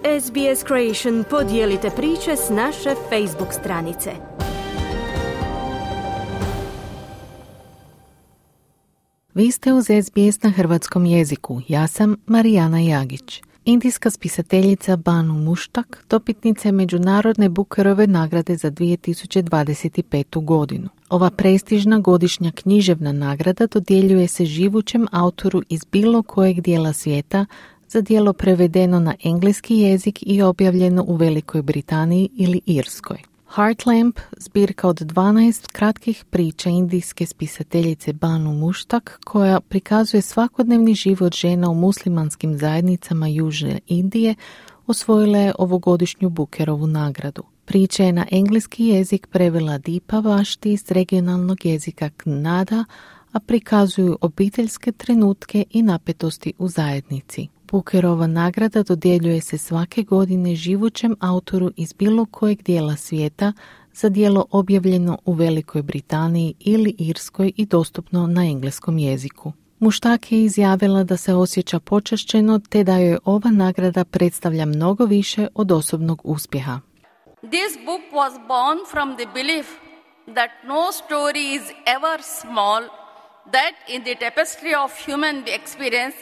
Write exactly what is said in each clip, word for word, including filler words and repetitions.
S B S Creation podijelite priče s naše Facebook stranice. Vi ste uz S B S na hrvatskom jeziku. Ja sam Marijana Jagić. Indijska spisateljica Banu Muštak dobitnica je Međunarodne Bookerove nagrade za dvije tisuće dvadeset petu. godinu. Ova prestižna godišnja književna nagrada dodjeljuje se živućem autoru iz bilo kojeg dijela svijeta za djelo prevedeno na engleski jezik i objavljeno u Velikoj Britaniji ili Irskoj. Heartlamp, zbirka od dvanaest kratkih priča indijske spisateljice Banu Muštak, koja prikazuje svakodnevni život žena u muslimanskim zajednicama Južne Indije, osvojila je ovogodišnju Bookerovu nagradu. Priča je na engleski jezik prevela Deepa Vashti iz regionalnog jezika Kannada, a prikazuju obiteljske trenutke i napetosti u zajednici. Bookerova nagrada dodjeljuje se svake godine živućem autoru iz bilo kojeg dijela svijeta za djelo objavljeno u Velikoj Britaniji ili Irskoj i dostupno na engleskom jeziku. Muštak je izjavila da se osjeća počašćeno te da joj ova nagrada predstavlja mnogo više od osobnog uspjeha. This book was born from the belief that no story is ever small, that in the tapestry of human experience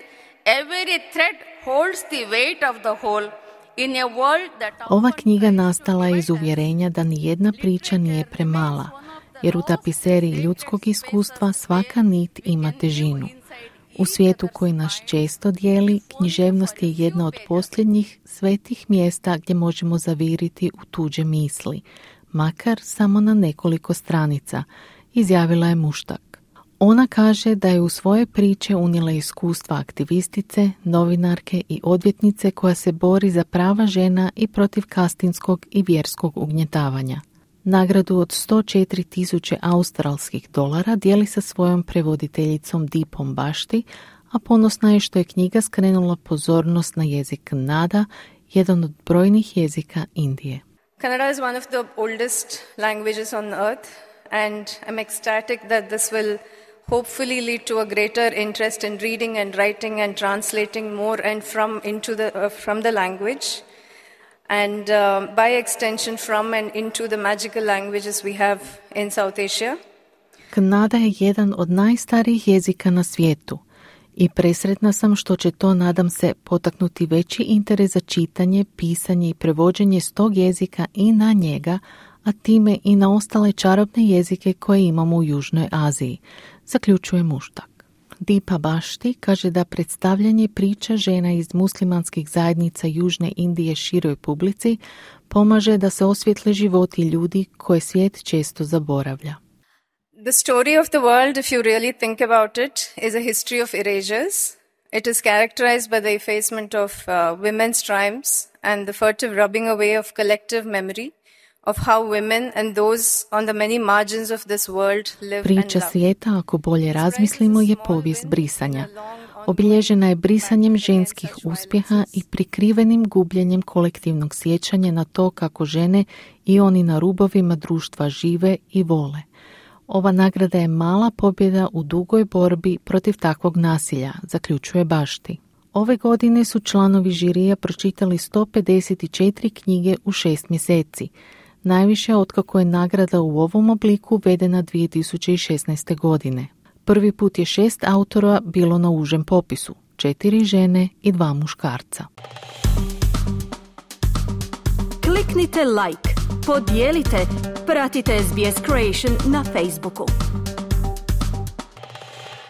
every thread holds the weight of the whole. In a world that Ova knjiga nastala je iz uvjerenja da ni jedna priča nije premala, jer u tapiseriji ljudskog iskustva svaka nit ima težinu. U svijetu koji nas često dijeli, književnost je jedna od posljednjih svetih mjesta gdje možemo zaviriti u tuđe misli, makar samo na nekoliko stranica, izjavila je Muštak. Ona kaže da je u svoje priče unijela iskustva aktivistice, novinarke i odvjetnice koja se bori za prava žena i protiv kastinskog i vjerskog ugnjetavanja. Nagradu od sto četiri tisuće australskih dolara dijeli sa svojom prevoditeljicom Deepom Vashti, a ponosna je što je knjiga skrenula pozornost na jezik Kannada, jedan od brojnih jezika Indije. Kannada is one of the oldest languages on earth, and I'm ecstatic that this will hopefully lead to a greater interest in reading and writing and translating more and from into the uh, from the language, and uh, by extension from and into the magical languages we have in South Asia. Kannada je jedan od najstarijih jezika na svijetu i presretna sam što će to, nadam se, potaknuti veći interes za čitanje, pisanje i prevođenje s tog jezika i na njega, a time i na ostale čarobne jezike koje imamo u Južnoj Aziji, zaključuje Muštak. Deepa Vashti kaže da predstavljanje priča žena iz muslimanskih zajednica Južne Indije široj publici pomaže da se osvijetle životi ljudi koje svijet često zaboravlja. The story of the world, if you really think about it, is a history of erasures. It is characterized by the effacement of uh, women's triumphs and the furtive rubbing away of collective memory of how women and those on the many margins of this world live and love. Priča svijeta, ako bolje razmislimo, je povijest brisanja. Obilježena je brisanjem ženskih uspjeha i prikrivenim gubljenjem kolektivnog sjećanja na to kako žene i oni na rubovima društva žive i vole. Ova nagrada je mala pobjeda u dugoj borbi protiv takvog nasilja, zaključuje Vashti. Ove godine su članovi žirija pročitali sto pedeset četiri knjige u šest mjeseci, najviše otkako je nagrada u ovom obliku uvedena dvije tisuće šesnaeste. godine. Prvi put je šest autora bilo na užem popisu, četiri žene i dva muškarca. Kliknite like, podijelite, pratite S B S Creation na Facebooku.